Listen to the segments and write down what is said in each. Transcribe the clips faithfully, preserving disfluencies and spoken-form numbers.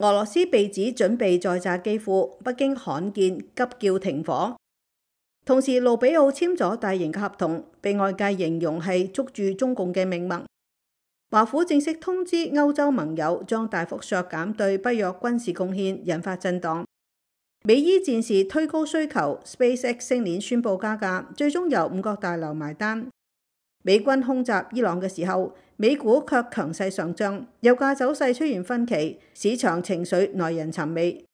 俄羅斯被指準備再炸基輔，北京罕見急叫停火。同時，盧比奧簽咗大型嘅合同，被外界形容係捉住中共嘅命脈。華府正式通知歐洲盟友將大幅削減對北約軍事貢獻，引發震盪。美伊戰事推高需求 ，SpaceX 星鏈宣布加價，最終由五角大樓埋單。美軍空襲伊朗嘅時候，美股卻強勢上漲，油價走勢出現分歧，市場情緒耐人尋味。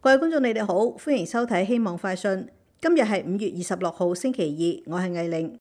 各位觀眾，你哋好，歡迎收睇《希望快訊》。今日係五月二十六號星期二，我係藝玲。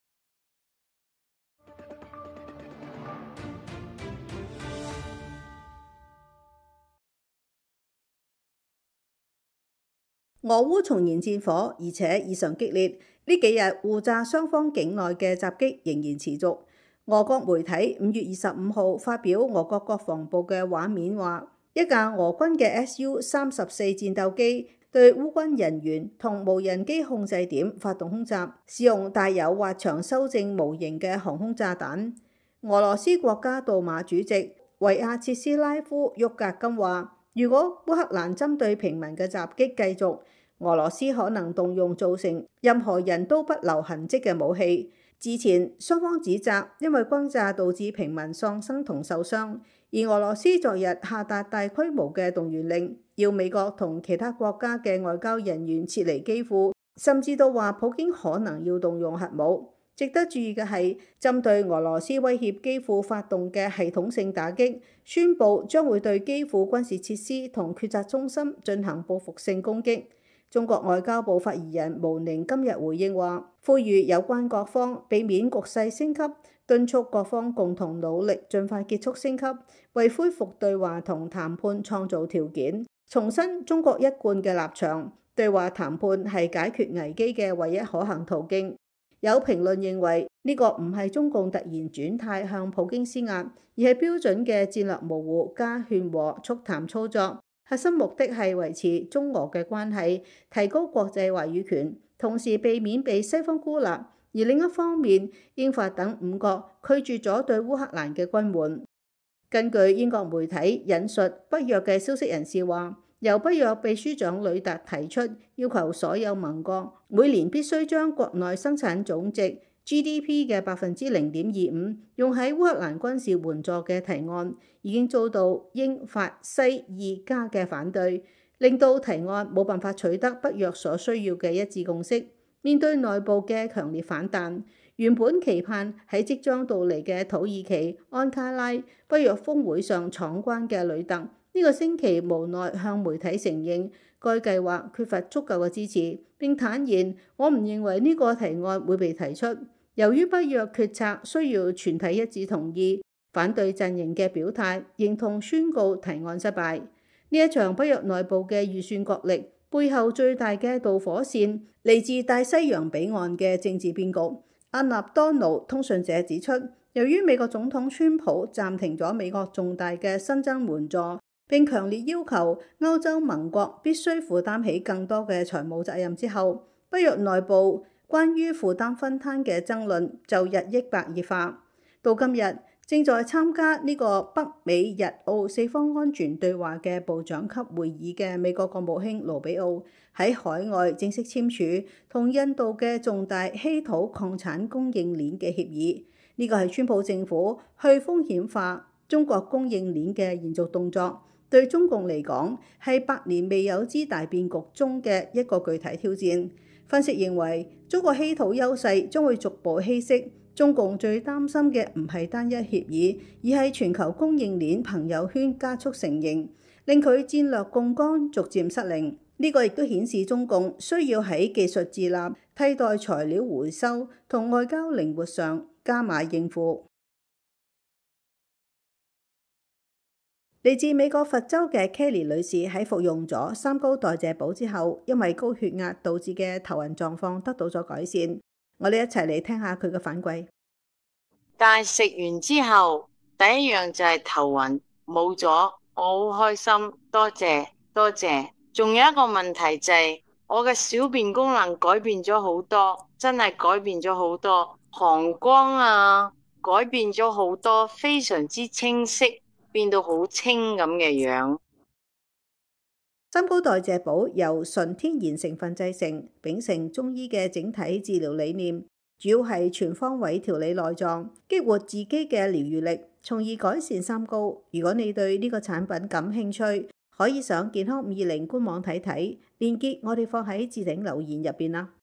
俄烏重燃戰火，而且異常激烈。呢幾日互炸雙方境內嘅襲擊仍然持續。俄國媒體五月二十五號發表俄國國防部嘅畫面話，一架俄軍嘅 S U 三十四戰鬥機對烏軍人員同無人機控制點發動空襲，使用帶有滑翔修正模型嘅航空炸彈。俄羅斯國家杜馬主席維亞切斯拉夫沃格金話，如果烏克蘭針對平民嘅襲擊繼續，俄羅斯可能動用造成任何人都不留痕跡嘅武器。之前雙方指責因為轟炸導致平民喪生同受傷，而俄羅斯昨日下達大規模嘅動員令，要美國同其他國家嘅外交人員撤離基輔，甚至到話普京可能要動用核武。值得注意嘅係，針對俄羅斯威脅基輔發動嘅系統性打擊，宣布將會對基輔軍事設施同決策中心進行報復性攻擊。中國外交部發言人毛寧今日回應話，呼籲有關各方避免局勢升級，敦促各方共同努力，盡快結束升級，為恢復對話同談判創造條件。重申中國一貫嘅立場，對話談判係解決危機嘅唯一可行途徑。有評論認為呢個唔係中共突然轉態向普京施壓，而係標準嘅戰略模糊加勸和促談操作。核心目的係維持中俄嘅關係，提高國際話語權，同時避免被西方孤立。而另一方面，英法等五國拒絕咗對烏克蘭嘅軍援。根據英國媒體引述北約嘅消息人士話，由北約秘書長呂特提出要求所有盟國每年必須將國內生產總值 G D P 嘅百分之零點二五用喺烏克蘭軍事援助嘅提案，已經遭到英法西二加嘅反對，令到提案冇辦法取得北約所需要嘅一致共識。面對內部嘅強烈反彈，原本期盼喺即將到嚟嘅土耳其安卡拉北約峰會上闖關嘅呂特，呢個星期無奈向媒體承認該計劃缺乏足夠嘅支持，並坦言，我唔認為呢個提案會被提出。由於北約決策需要全體一致同意，反對陣營嘅表態認同宣告提案失敗。呢一場北約內部嘅預算角力背後最大嘅導火線嚟自大西洋彼岸嘅政治變局。阿納多奴通訊社指出，由於美國總統川普暫停咗美國重大嘅新增援助，並強烈要求歐洲盟國必須負擔起更多嘅財務責任之後，北約內部關於負擔分攤嘅爭論就日益白熱化。到今日，正在參加呢個北美日澳四方安全對話嘅部長級會議嘅美國國務卿盧比奧喺海外正式簽署同印度嘅重大稀土礦產供應鏈嘅協議。呢個係川普政府去風險化中國供應鏈嘅延續動作，對中共嚟講係百年未有之大變局中嘅一個具體挑戰。分析認為，中國稀土優勢將會逐步稀釋。中共最擔心嘅唔係單一協議，而係全球供應鏈朋友圈加速成形，令佢戰略槓桿逐漸失靈。呢個亦都顯示中共需要喺技術自立、替代材料回收同外交靈活上加碼應付。嚟自美國佛州嘅 Kelly 女士喺服用咗三高代謝寶之後，因為高血壓導致嘅頭暈狀況得到咗改善。我哋一齊嚟聽下佢嘅反饋。但係食完之後，第一樣就係頭暈冇咗，我好開心，多謝多謝。仲有一個問題就係我嘅小便功能改變咗好多，真係改變咗好多，膀胱啊改變咗好多，非常之清晰，變到好清咁嘅樣。三高代謝寶由純天然成分製成，秉承中醫嘅整體治療理念，主要係全方位調理內臟，激活自己嘅療愈力，從而改善三高。如果你對呢個產品感興趣，可以上健康五二零官網睇睇，鏈接我哋放喺置頂留言入邊啦。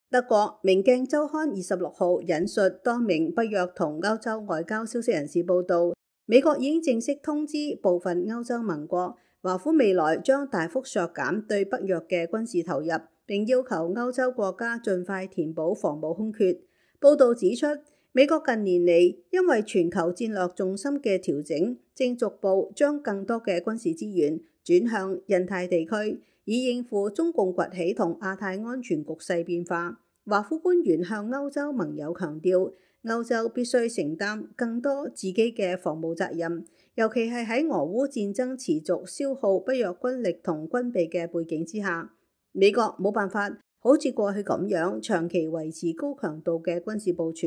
德國明鏡週刊二十六號引述多名北約同歐洲外交消息人士報道，美國已經正式通知部分歐洲盟國，華府未來將大幅削減對北約嘅軍事投入，並要求歐洲國家盡快填補防務空缺。報道指出，美國近年嚟因為全球戰略重心嘅調整，正逐步將更多嘅軍事資源轉向印太地區，以應付中共崛起同亞太安全局勢變化。華府官員向歐洲盟友強調，歐洲必須承擔更多自己嘅防務責任，尤其係喺俄烏戰爭持續消耗北約軍力同軍備嘅背景之下，美國冇辦法好似過去咁樣長期維持高強度嘅軍事部署。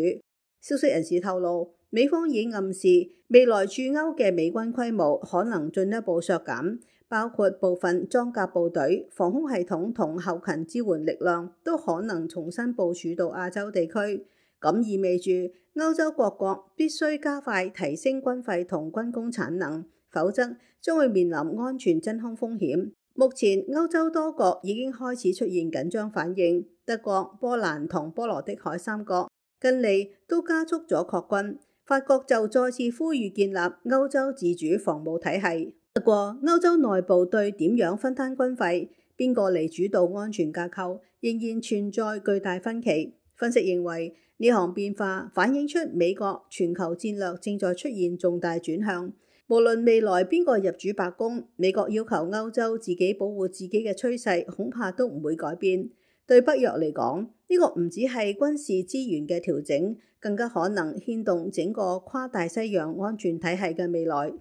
消息人士透露，美方已經暗示未來駐歐嘅美軍規模可能進一步削減，包括部分裝甲部隊、防空系統同後勤支援力量都可能重新部署到亞洲地區。咁意味住歐洲各國必須加快提升軍費同軍工產能，否則將會面臨安全真空風險。目前歐洲多國已經開始出現緊張反應，德國、波蘭同波羅的海三國近嚟都加速咗擴軍，法國就再次呼籲建立歐洲自主防務體系。不過，歐洲內部對點樣分攤軍費、邊個嚟主導安全架構，仍然存在巨大分歧。分析認為，呢項變化反映出美國全球戰略正在出現重大轉向。無論未來邊個入主白宮，美國要求歐洲自己保護自己嘅趨勢，恐怕都唔會改變。對北約嚟講，呢個唔只係軍事資源嘅調整，更加可能牽動整個跨大西洋安全體系嘅未來。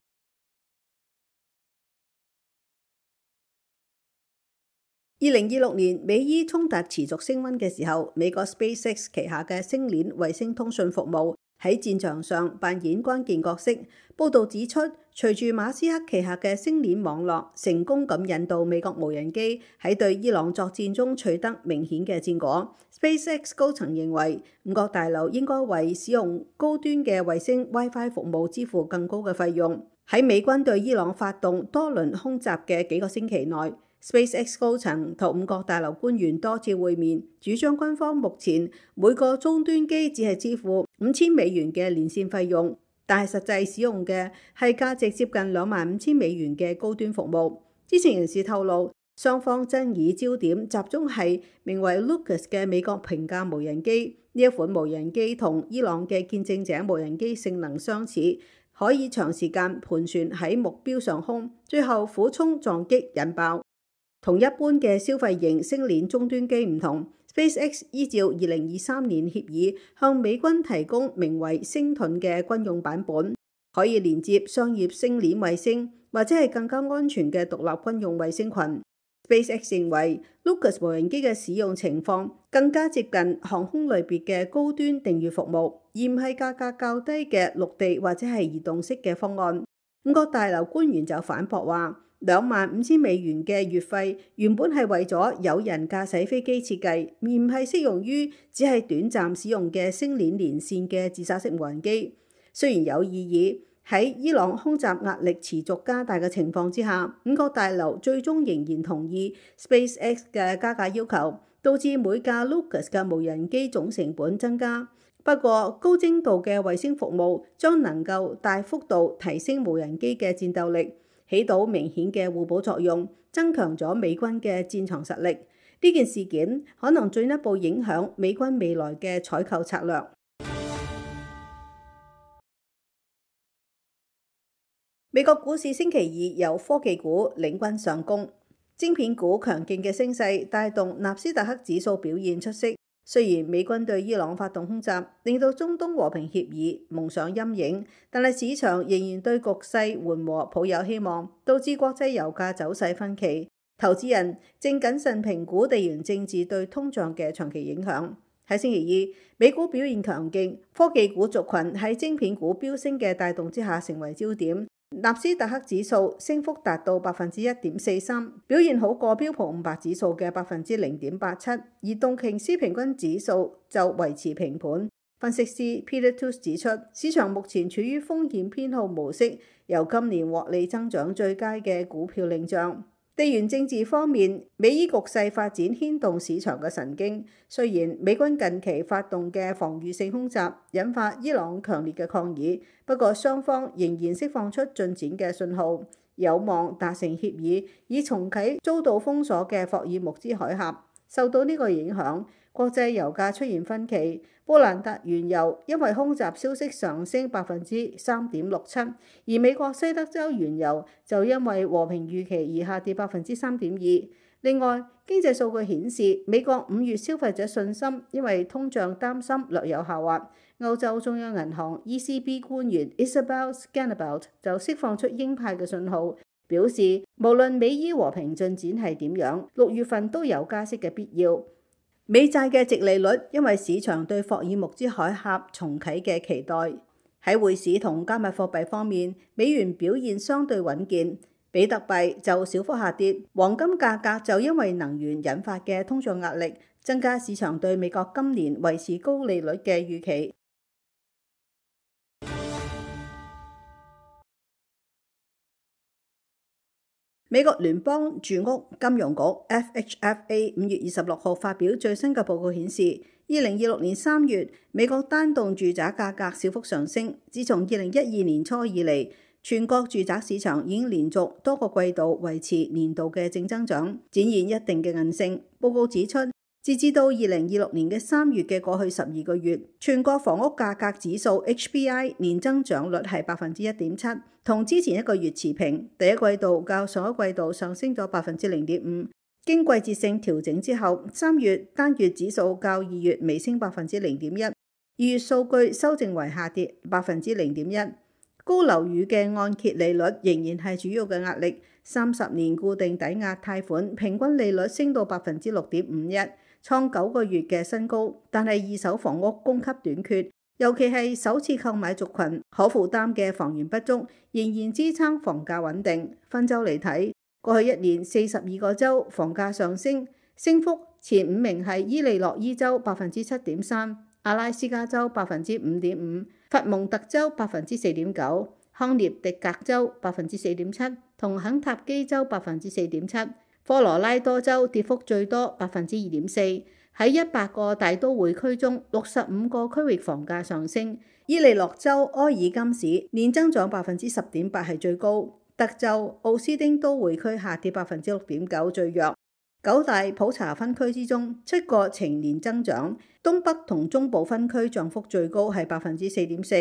二零二六年美伊衝突持續升溫嘅時候，美國 SpaceX 旗下嘅星鏈衛星通訊服務喺戰場上扮演關鍵角色。報道指出，隨住馬斯克旗下嘅星鏈網絡成功咁引導美國無人機喺對伊朗作戰中取得明顯嘅戰果， SpaceX 高層認為五角大樓應該為使用高端嘅衛星 WiFi 服務支付更高嘅費用。喺美軍對伊朗發動多輪空襲嘅幾個星期內，SpaceX 高層同五角大樓官員多次會面，主張軍方目前每個終端機只係支付五千美元嘅連線費用，但係實際使用嘅係價值接近兩萬五千美元嘅高端服務。知情人士透露，雙方爭議焦點集中係名為 Lucas 嘅美國平價無人機。呢一款無人機同伊朗嘅見證者無人機性能相似，可以長時間盤旋喺目標上空，最後俯衝撞擊引爆。同一般嘅消費型星鏈終端機唔同， SpaceX 依照二零二三年協議向美軍提供名為星盾嘅軍用版本，可以連接商業星鏈衛星或者係更加安全嘅獨立軍用衛星群。SpaceX 認為 Lucas 無人機嘅使用情況更加接近航空類別嘅高端訂閱服務，而唔係價格較低嘅陸地或者係移動式嘅方案。五角大樓官員就反駁話，兩萬五千美元嘅月費原本係為咗有人駕駛飛機設計，而唔係適用於只係短暫使用嘅星鏈連線嘅自殺式無人機。雖然有異議，喺伊朗空襲壓力持續加大嘅情況之下，五角大樓最終仍然同意 SpaceX 嘅加價要求，導致每架 Lucas 嘅無人機總成本增加。不過，高精度嘅衛星服務將能夠大幅度提升無人機嘅戰鬥力，起到明顯嘅互補作用，增強咗美軍嘅戰場實力。呢件事件可能進一步影響美軍未來嘅採購策略。美國股市星期二由科技股領軍上攻，晶片股強勁嘅升勢帶動納斯達克指數表現出色。雖然美軍對伊朗發動空襲，令到中東和平協議蒙上陰影，但係市場仍然對局勢緩和抱有希望，導致國際油價走勢分歧。投資人正謹慎評估地緣政治對通脹嘅長期影響。喺星期二，美股表現強勁，科技股族群喺晶片股飆升嘅帶動之下成為焦點。納斯達克指數升幅達到百分之一點四三，表現好過標普五百指數嘅百分之零點八七，而道瓊斯平均指數就維持平盤。分析師 Peter Toots 指出，市場目前處於風險偏好模式，由今年獲利增長最佳嘅股票領漲。地緣政治方面，美伊局勢發展牽動市場嘅神經。雖然美軍近期發動嘅防禦性空襲引發伊朗強烈嘅抗議，不過雙方仍然釋放出進展嘅信號，有望達成協議，以重啟遭到封鎖嘅霍爾木茲海峽。受到呢個影響，國際油價出現分歧，布蘭特原油因為空襲消息上升百分之三點六七，而美國西德州原油就因為和平預期而下跌百分之三點二。另外，經濟數據顯示，美國五月消費者信心因為通脹擔心略有下滑。歐洲中央銀行 E C B 官員 Isabel Schnabel 就釋放出鷹派嘅信號，表示無論美伊和平進展係點樣，六月份都有加息嘅必要。美債嘅殖利率因為市場對霍爾木茲海峽重啟嘅期待。喺匯市同加密貨幣方面，美元表現相對穩健。比特幣就小幅下跌，黃金價格就因為能源引發嘅通脹壓力，增加市場對美國今年維持高利率嘅預期。美國聯邦住屋金融局 F H F A 五月二十六號發表最新嘅報告顯示，二零二六年三月美國單棟住宅價格小幅上升。自從二零一二年初以嚟，全國住宅市場已經連續多個季度維持年度嘅正增長，展現一定嘅韌性。報告指出，截至到二零二六年嘅三月嘅過去十二個月，全國房屋價格指數 H P I 年增長率係百分之一點七，同之前一個月持平。第一季度較上一季度上升咗百分之零點五。經季節性調整之後，三月單月指數較二月微升百分之零點一，二月數據修正為下跌百分之零點一。高樓宇嘅按揭利率仍然係主要嘅壓力，三十年固定抵押貸款平均利率升到百分之六點五一，創九個月嘅新高。但係二手房屋供給短缺，尤其係首次購買族群可負擔嘅房源不足，仍然支撐房價穩定。分州嚟睇，過去一年四十二個州房價上升，升幅前五名係伊利諾伊州百分之七點三，阿拉斯加州百分之五點五。佛蒙特州百分之四點九，康涅狄格州百分之四點七，同肯塔基州百分之四點七，科羅拉多州跌幅最多百分之二點四。喺一百個大都會區中，六十五個區域房價上升。伊利諾州埃爾金市年增長百分之十點八係最高，德州奧斯丁都會區下跌百分之六點九最弱。九大普查分區之中，七個呈年增長，東北同中部分區漲幅最高係百分之四點四。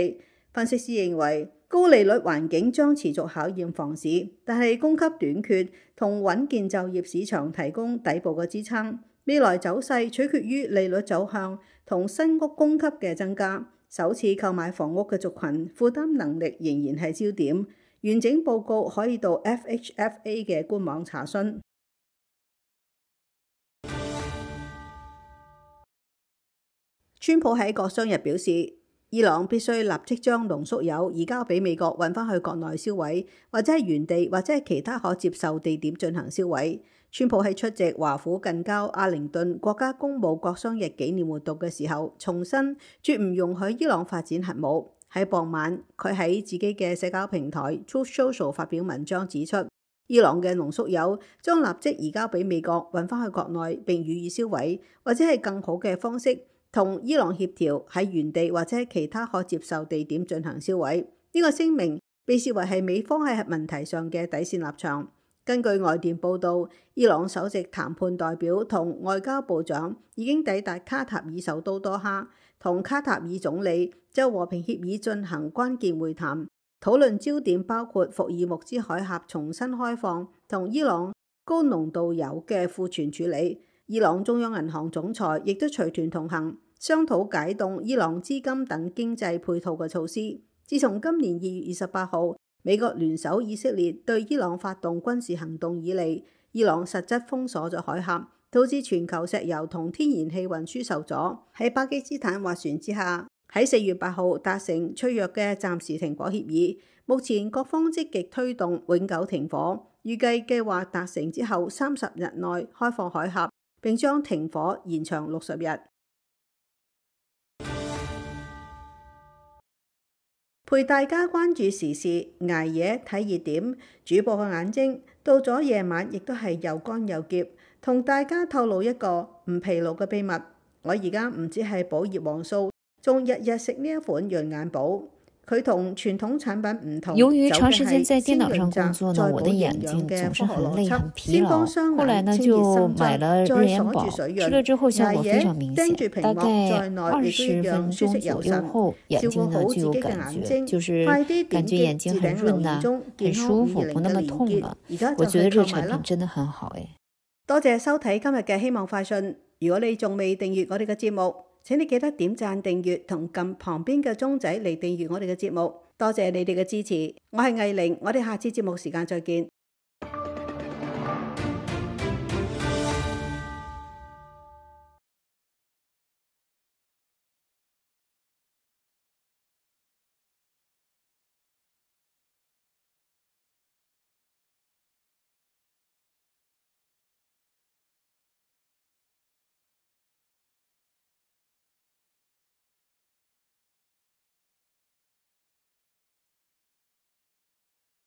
分析師認為，高利率環境將持續考驗房市，但係供給短缺同穩健就業市場提供底部嘅支撐。未來走勢取決於利率走向同新屋供給嘅增加。首次購買房屋嘅族群負擔能力仍然係焦點。完整報告可以到 F H F A 嘅官網查詢。川普喺國殤日表示，伊朗必須立即將濃縮鈾移交俾美國運返去國內銷毀，或者係原地或者係其他可接受地點進行銷毀。川普喺出席華府近郊阿靈頓國家公務國殤日紀念活動嘅時候，重申絕唔容許伊朗發展核武。喺傍晚，佢喺自己嘅社交平台 Truth Social 發表文章指出，伊朗嘅濃縮鈾將立即移交俾美國運返去國內並予以銷毀，或者係更好嘅方式同伊朗協調喺原地或者其他可接受地點進行銷毀。呢、這個聲明被視為係美方喺核問題上嘅底線立場。根據外電報導，伊朗首席談判代表同外交部長已經抵達卡塔爾首都多哈，同卡塔爾總理就和平協議進行關鍵會談，討論焦點包括霍爾木茲海峽重新開放同伊朗高濃度鈾嘅庫存處理。伊朗中央銀行總裁亦都隨團同行，商討解凍伊朗資金等經濟配套嘅措施。自從今年二月二十八號美國聯手以色列對伊朗發動軍事行動以嚟，伊朗實質封鎖咗海峽，導致全球石油同天然氣運輸受阻。喺巴基斯坦斡旋之下，喺四月八號達成脆弱嘅暫時停火協議。目前各方積極推動永久停火，預計計劃達成之後三十日內開放海峽，並將停火延長六十日。陪大家關注時事，捱夜睇熱點。主播嘅眼睛到咗夜晚亦都係又乾又澀。同大家透露一個唔疲勞嘅秘密，我而家唔止係補葉黃素，仲日日食呢一款潤眼寶。佢同傳統產品唔同，由於長時間在電腦上工作呢，我的眼睛總是很累很疲勞。後來呢就買了潤眼寶，吃了之後效果非常明顯，大概二十分鐘左右後，眼睛呢就有感覺，就是感覺眼睛很潤呐、啊，很舒服，不那麼痛了。我覺得這個產品真的很好誒。多謝收睇今日嘅希望快訊。如果你仲未訂閱我哋嘅節目，請你記得點讚訂閱同撳旁邊嘅鐘仔嚟訂閱我哋嘅節目。多謝你哋嘅支持，我係藝玲，我哋下次節目時間再見。